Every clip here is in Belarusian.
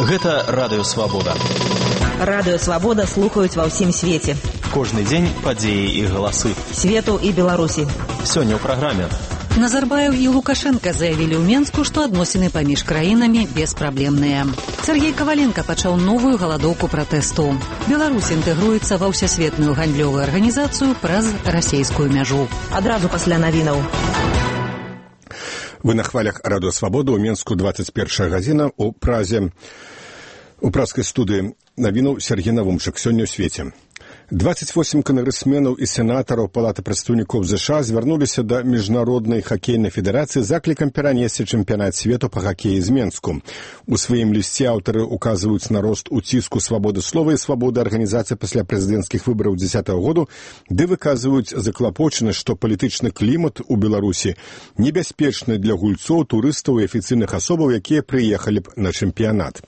Гэта Радыё Свабода. Радыё Свабода слухаюць ва ўсім свеце. Кожны дзень падзеі і галасы. Свету і Беларусі. Сёння ў праграме. Назарбаев і Лукашенко заявілі ў Менску, што адносіны паміж краінамі беспраблемныя. Сергей Коваленко пачаў новую галадоўку пратэсту. Беларусь інтэгруецца ва ўсесветную гандлёвую арганізацыю праз расейскую мяжу. Адразу пасля навінаў. Вы на хвалях Радыё Свабода, ў Менску 21 гадзіна, у Празе, у празкай студыі навінаў Сергей Навумчык. Сёння ў свеце. 28 кангрэсменаў і сенатараў Палаты прадстаўнікоў ЗША звярнуліся да Міжнароднай хакейнай федэрацыі з заклікам перанесці чэмпіянат свету па хакеі з Менску. У сваім лісце аўтары указваюць на рост уціску свабоды слова і свабоды арганізацыі пасля прэзідэнцкіх выбараў 2010 году, ды выказваюць заклапочанасць, што палітычны клімат у Беларусі небяспечны для гульцоў, турыстаў і афіцыйных асобаў, якія прыехалі б на чэмпіянат.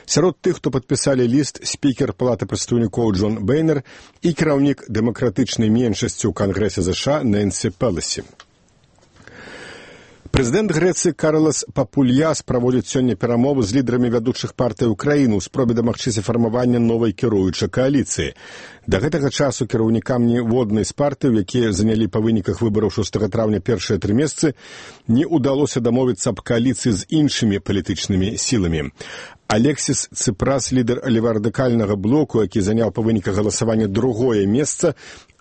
Сярод тых, хто падпісалі ліст, спікер Палаты прадстаўнікоў Джон Бейнер і кіраўнік дэмакратычнай меншасці ў Кангрэсе ЗША Нэнсі Пеласі. Прэзідэнт Грэцыі Карлас Папульяс праводзіць сёння перамовы з лідарамі вядучых партый Украіны ў спробе дамагчыся фармавання новай кіруючай кааліцыі. Да гэтага часу кіраўнікам ніводнай з партыяў, якія занялі па выніках выбараў 6 траўня першыя 3 месцы, не ўдалося дамовіцца аб кааліцыі з іншымі палітычнымі сіламі. Алексіс Ципрас, лідар левардыкальнага блоку, які заняў па выніках галасавання другое месца,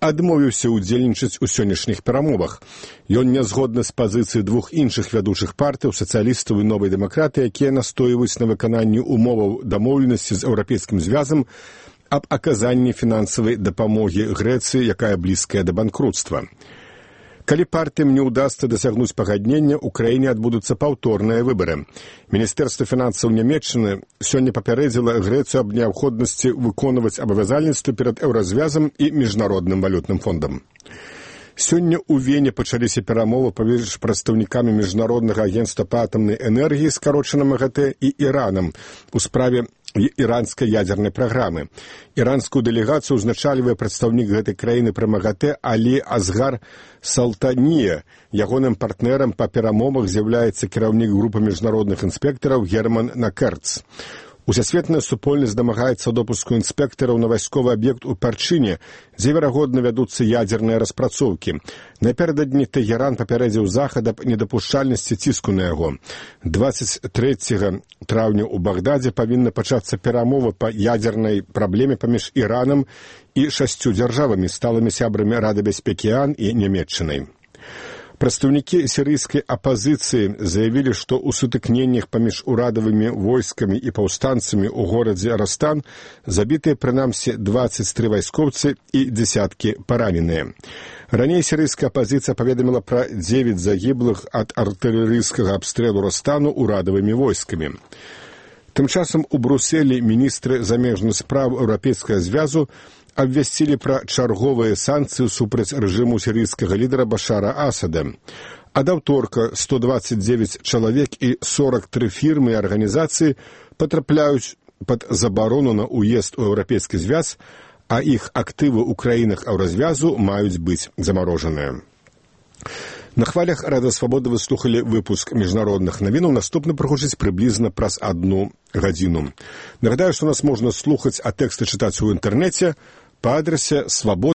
адмовіўся ўдзельнічаць у сённяшніх перамовах. Ён не згодны з пазіцыяй двух іншых вядучых партыяў, сацыялістаў і новай дэмакраты, якія настойваюць на выкананні умоваў дамоўленасці з Еўрапейскім звязам аб аказанні фінансавай дапамогі Грэцыі, якая блізкая да банкрутства. Калі партыям не ўдасца дасягнуць пагаднення, у краіне адбудуцца паўторныя выбары. Міністэрства фінансаў Нямецчыны сёння папярэдзіла Грэцыю аб неабходнасці выконваць абавязальніцтвы перад Еўразвязам і Міжнародным валютным фондам. Сёння ў Вене пачаліся перамовы паміж прадстаўнікамі Міжнароднага агенцтва па атамнай энергіі, скарочана МАГАТЭ, і Іранам у справе іранскай ядзернай праграмы. Іранскую дэлегацыю ўзначальвае прадстаўнік гэтай краіны пры МАГАТЭ Алі Азгар Салтанія. Ягоным партнерам па перамовах з'яўляецца кіраўнік групы міжнародных інспектараў Герман Накерц. Усесветная супольнасць дамагаецца допуску інспектараў на вайсковы аб'ект у Парчыне, дзе верагодна вядуцца ядзерныя распрацоўкі. Напярэдадні Тэгеран папярэдзіў захад аб недапушчальнасці ціску на яго. 23 траўня ў Багдадзе павінна пачацца перамова па ядзернай праблеме паміж Іранам і 6 дзяржавамі, сталымі сябрамі Рады бяспекі ААН і Нямецчынай. Прадстаўнікі сірыйскай апазіцыі заявілі, што ў сутыкненнях паміж урадавымі войскамі і паўстанцамі ў горадзе Растан забітыя прынамсі 23 вайскоўцы і дзесяткі параненыя. Раней сірыйская апазіцыя паведаміла пра 9 загіблых ад артылерыйскага абстрэлу Растану урадавымі войскамі. Тым часам у Брусэлі міністры замежных спраў Еўрапейскага звязу абвясцілі пра чарговыя санкцыі супраць рэжыму сірыйскага лідара Башара Асада. Ад аўторка 129 чалавек і 43 фірмы і арганізацыі патрапляюць пад забарону на ўезд у Еўрапейскі звяз, а іх актывы ў краінах Еўразвязу маюць быць замарожаныя. На хвалях Радыё Свабода вы слухалі выпуск міжнародных навінаў. Наступны прагучыць прыблізна праз 1 гадзіну. Нагадаю, што нас можна слухаць, а тэксты чытаць у інтэрнэце па адрасе свабода.